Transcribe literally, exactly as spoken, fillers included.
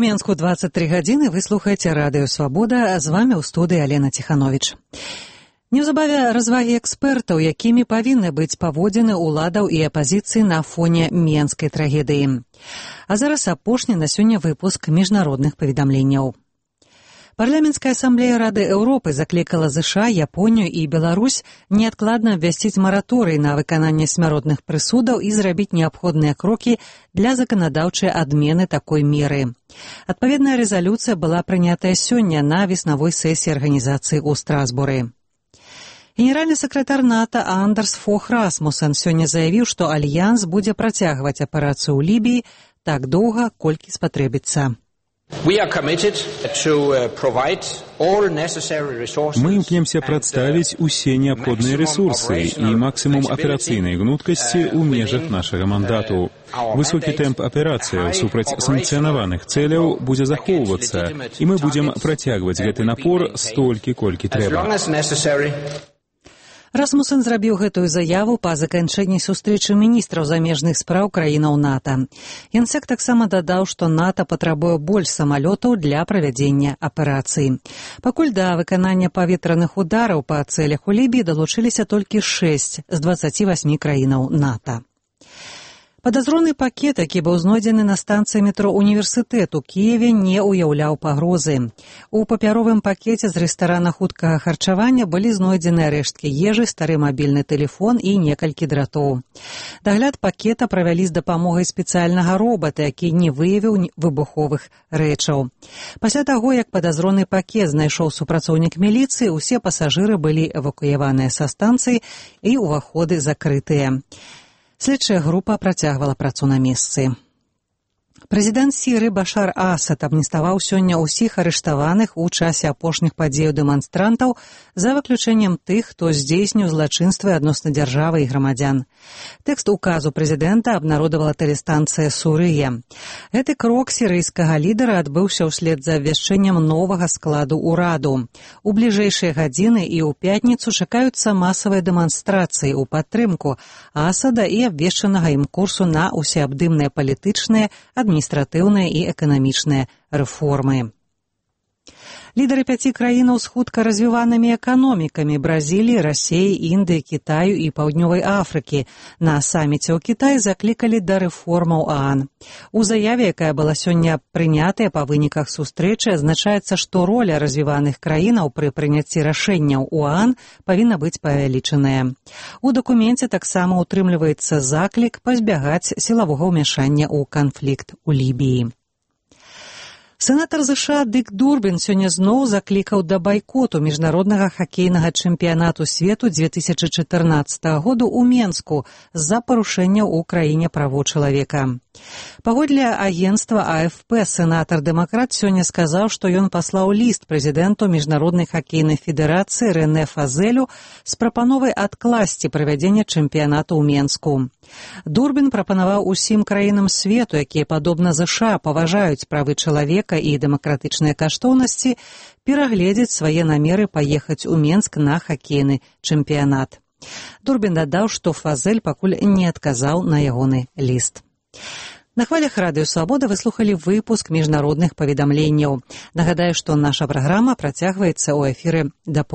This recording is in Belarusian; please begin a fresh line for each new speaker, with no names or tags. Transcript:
Менску двадцать три гадзіны, вы слухаеце радыё «Свабода», з вами ў студыі Алена Ціхановіч. Неўзабаве развагі экспертаў, якімі павінны быць паводзіны ўладаў і апазіцыі на фоне менскай трагедыі. А зараз апошні на сёння выпуск міжнародных паведамленняў. Парламенцкая асамблея Рады Еўропы заклікала ЗША, Японію і Беларусь неадкладна абвясціць мараторый на выкананне смяротных прысудаў і зрабіць неабходныя крокі для заканадаўчай адмены такой меры. Адпаведная рэзалюцыя была прынятая сёння на веснавой сесіі арганізацыі ў Страсбуры. Генеральны сакратар НАТО Андерс Фох Расмуссен сёння заявіў, што Альянс будзе працягваць аперацыю ў Лібіі так доўга, колькі спатрэбіцца.
Мы імкнемся прадставіць усе неабходныя рэсурсы і максімум аперацыйнай гнуткасці ў межах нашага мандату. Высокі тэмп аперацыяў супраць санкцыянаваных цэляў будзе захоўвацца, і мы будзем працягваць гэты напор столькі, колькі трэба.
Расмуссен зрабіў гэтую заяву па заканчэнні сустрэчы міністраў замежных спраў краінаў НАТО. Генсек таксама дадаў, што НАТО патрабуе больш самалётаў для правядзення аперацыі. Пакуль да выканання паветраных удараў па цэлях у Лібіі далучыліся толькі шэсць з дваццаці васьмі краінаў НАТО. Падазроны пакет, які быў знойдзены на станцыі метро «Універсітэт» у Кіеве, не ўяўляў пагрозы. У папяровым пакеце з рэстарана хуткага харчавання былі знойдзены рэшткі ежы, стары мабільны тэлефон і некалькі дратоў. Дагляд пакета правялі з дапамогай спецыяльнага робата, які не выявіў выбуховых рэчаў. Пасля таго, як падазроны пакет знайшоў супрацоўнік міліцыі, усе пасажыры былі эвакуяваныя са станцыі і ўваходы закрытыя. Следчая група працягвала працу на месцы. Прэзідэнт Сірыі Башар Асад амніставаў сёння ўсіх арыштаваных у часе апошніх падзеяў дэманстрантаў за выключэннем тых, хто здзейсніў злачынствы адносна дзяржавы і грамадзян. Тэкст указу прэзідэнта абнародавала тэлестанцыя «Сурыя». Гэты крок сірыйскага лідара адбыўся ўслед за абвяшчэннем новага складу ўраду. У бліжэйшыя гадзіны і ў пятніцу чакаюцца масавыя дэманстрацыі ў падтрымку Асада і абвешчанага ім курсу на усеабдымныя палітычныя, адміністратыўныя і эканамічныя рэформы. Лідары пяці краінаў з хутка развіванымі эканомікамі Бразіліі, Расіі, Індыі, Кітаю і Паўднёвай Афрыкі на саміце ў Кітаі заклікалі да рэформаў ААН. У заяве, якая была сёння прынятая па выніках сустрэчы, азначаецца, што роля развіваных краінаў пры прыняцці рашэнняў у ААН павінна быць павялічаная. У дакуменце таксама ўтрымліваецца заклік пазбягаць сілавога ўмяшання ў канфлікт у Лібіі. Сенатар ЗША Дык Дурбін сёння зноў заклікаў да байкоту міжнароднага хакейнага чэмпіянату свету дзве тысячы чатырнаццатага году ў Менску з-за парушэнняў у краіне правоў чалавека. Паводле агенцтва А Эф Пэ сенатар-дэмакрат сёння сказаў, што ён паслаў ліст прэзідэнту Міжнароднай хакейнай федэрацыі Рэнэ Фазелю з прапановай адкласці правядзення чэмпіянату ў Менску. Дурбін прапанаваў усім краінам свету, якія, падобна ЗША, паважаюць правы чалавека і дэмакратычныя каштоўнасці, перагледзець свае намеры паехаць у Менск на хакейны чэмпіянат. Дурбін дадаў, што Фазель пакуль не адказаў на ягоны ліст. На хвалях радыё «Свабода» вы слухалі выпуск міжнародных паведамленняў. Нагадаю, што наша праграма працягваецца ў эфіры да